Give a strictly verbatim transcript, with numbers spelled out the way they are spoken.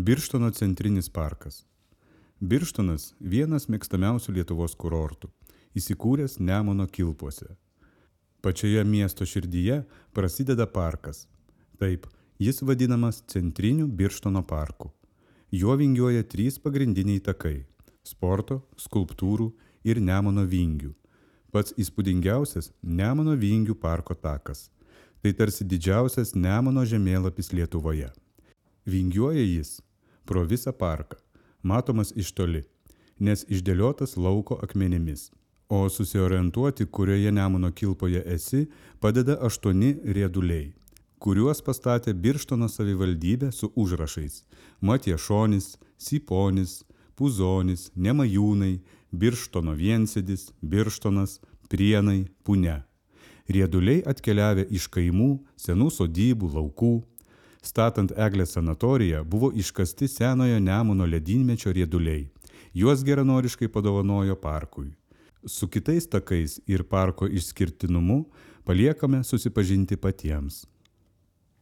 Birštono centrinis parkas. Birštonas – vienas mėgstamiausių Lietuvos kurortų, įsikūręs Nemuno kilpose. Pačioje miesto širdyje prasideda parkas. Taip, jis vadinamas Centriniu Birštono parku. Juo vingiuoja trys pagrindiniai takai – sporto, skulptūrų ir Nemuno vingių. Pats įspūdingiausias Nemuno vingių parko takas. Tai tarsi didžiausias Nemuno žemėlapis Lietuvoje. Vingiuoja jis pro visą parką, matomas iš toli, nes išdėliotas lauko akmenimis. O susiorientuoti, kurioje Nemuno kilpoje esi, padeda aštuoni rieduliai, kuriuos pastatė Birštono savivaldybė su užrašais Matiešonis, Siponis, Puzonis, Nemajūnai, Birštono viensėdis, Birštonas, Prienai, Punia. Rieduliai atkeliavę iš kaimų, senų sodybų, laukų. Statant Eglės sanatoriją buvo iškasti senojo Nemuno ledynmečio rieduliai. Juos geranoriškai padovanojo parkui. Su kitais takais ir parko išskirtinumu paliekame susipažinti patiems.